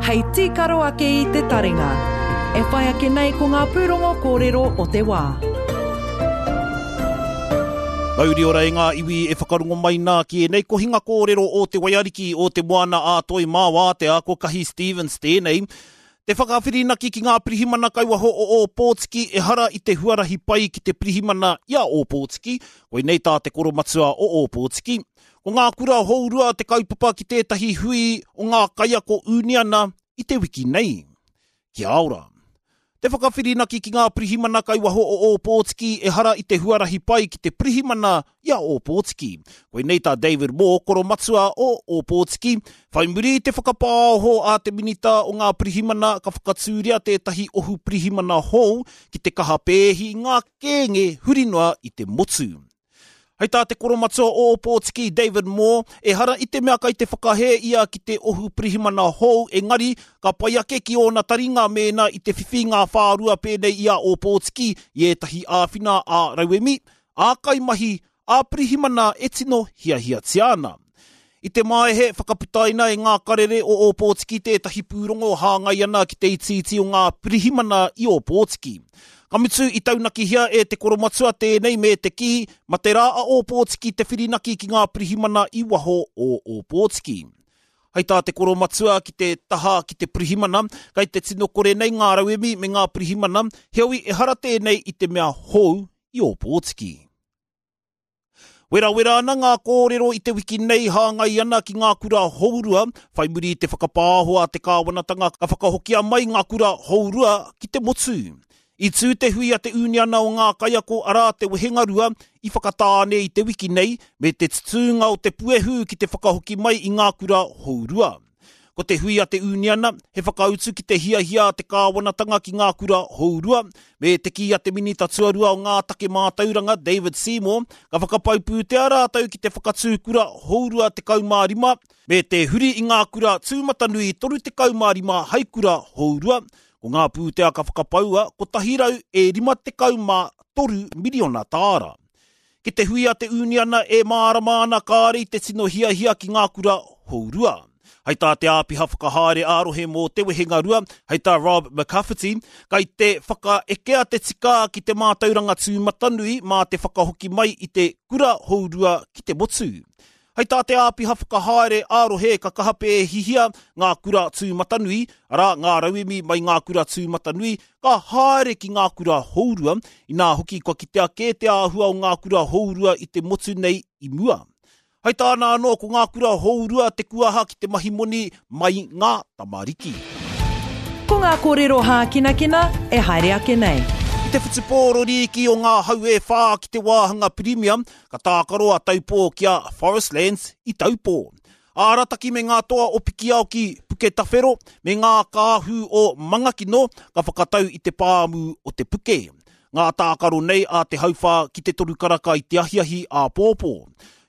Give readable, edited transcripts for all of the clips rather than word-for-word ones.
Hei tīkaro ake i te taringa. E whai ake nei ko ngā pūrongo kōrero o te wā. Mauri ora e ngā iwi e whakarongo mai nā ki ēnei kohinga kōrero o Te Waiariki o Te Moana ā Toi mā Wātea, ko Kahi Stevens tēnei. Te whakawhirinaki ki ngā pirihimana kai waho o Ōpōtiki ehara i te huarahi pai ki te pirihimana i a Ōpōtiki, koinei tā te koromatua o Ōpōtiki. Ko ngā kura hourua te kaupapa ki tētahi hui o ngā kaiako ūniana i te wiki nei. Kia ora. Te whakawhirinaki ki ngā pirihimana kai waho o Ōpōtiki ehara i te huarahi pai ki te pirihimana i a Ōpōtiki. Koinei tā David Moore, koromatua o Ōpōtiki, whai muri i te whakapāoho a te Minita o ngā Pirihimana ka whakatūria tētahi ohu pirihimana hou ki te kaha pēhi i ngā kēnge huri noa i te motu. Hei tā te koromatua o Ōpōtiki, David Moore, ehara i te mea kai te whakahē ia ki te ohu pirihimana hou engari ka pai ake ki ōna taringa mēnā i te whiwhi ngā whārua pēnei i a Ōpōtiki i ētahi āwhina ā-rauemi, ā-kaimahi, ā-pirihimana e tino hiahiatia ana. I te Maehe, whakaputaina e ngā karere o Ōpōtiki tētahi pūrongo hāngai ana ki te itiiti o ngā pirihimana i Ōpōtiki. Ka mutu, i taunakihia e te koromatua tēnei me te kī, mate rā a Ōpōtiki te whirinaki ki ngā pirihimana i waho o Ōpōtiki. Hei tā te koromatua ki te taha ki te pirihimana, kei te tino kore nei ngā rauemi me ngā pirihimana, heoi ehara tēnei i te mea hou i Ōpōtiki. Werawera ana ngā kōrero i te wiki nei hāngai ana ki ngā kura hourua, whai muri i te whakapāho a te kāwanatanga ka whakahokia mai ngā kura hourua ki te motu. I tū te hui a te Ūniana o ngā Kaiako arā te Wehengarua i Whakatāne i te wiki nei me te tutūnga o te puehu ki te whakahoki mai i ngā kura hourua. Ko te hui a te ūniana, he whakautu ki te hiahia a te kāwanatanga ki ngā kura hourua, me te kī a te Minita Tuarua o ngā Take Mātauranga, David Seymour, ka whakapau pūtea rātou ki te whakatū kura hourua 15, me te huri i ngā kura tūmatanui 35 hai kura hourua. Ko ngā pūtea ka whakapaua, 153 miriona tāra. Ki te hui a te ūniana e mārama ana kāre i te tino hiahia ki ngā kura hourua. Hei tā te āpiha whakahaere ā-rohe mō Te Wehengarua, hei tā Rob McCafferty, kai te whakaekea te tika ki te mātauranga tūmatanui mā te whakahoki mai i te kura hourua ki te motu. Hei tā te āpiha whakahaere ā-rohe ka kaha pēhihia ngā kura tūmatanui, arā, ngā rauemi mai ngā kura tūmatanui, ka haere ki ngā kura hourua, inā hoki kua kitea kē te āhua o ngā kura hourua i te motu nei i mua. Hei tāna anō ko ngā kura hourua te kuaha ki te mahi moni mai ngā tamariki. Ko ngā kōrero hākinakina e haere ake nei. I te whutupōro rīki o ngā hau e whā ki te wāhanga Pirimia, ka tākaro a Taupō ki a Forestlands i Taupō. Arataki me ngā toa o Pikiao ki Puketawhero me ngā kāhu o Mangakino ka whakatau i te pāmu o Te Puke. Ngā tākaro nei a te hauwhā ki te toru karaka i te ahiahi āpōpō.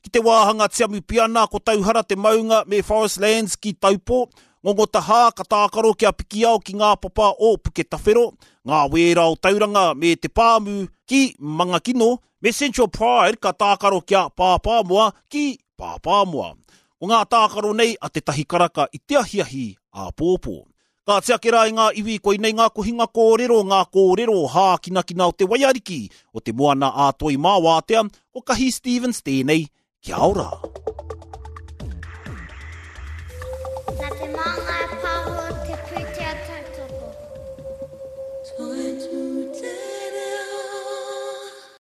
Ki te wāhanga Tiamupiana ko Tauhara te maunga me Forest Lands ki Taupō, Ngongotahā ka tākaro ki a Pikiao ki ngā papa o Puketawhero, ngā wēra o Tauranga me te pāmu ki Mangakino, me Central Pride ka tākaro ki a Pāpāmoa ki Pāpāmoa. Ko ngā tākaro nei a te tahi karaka i te ahiahi āpōpō. Ka tiaki rā i ngā iwi koinei ngā kohinga kōrero, ngā kōrero hākinakina o te waiariki, o te moana ā-toi mā wātea, ko Kahi Stevens tēnei, kia ora!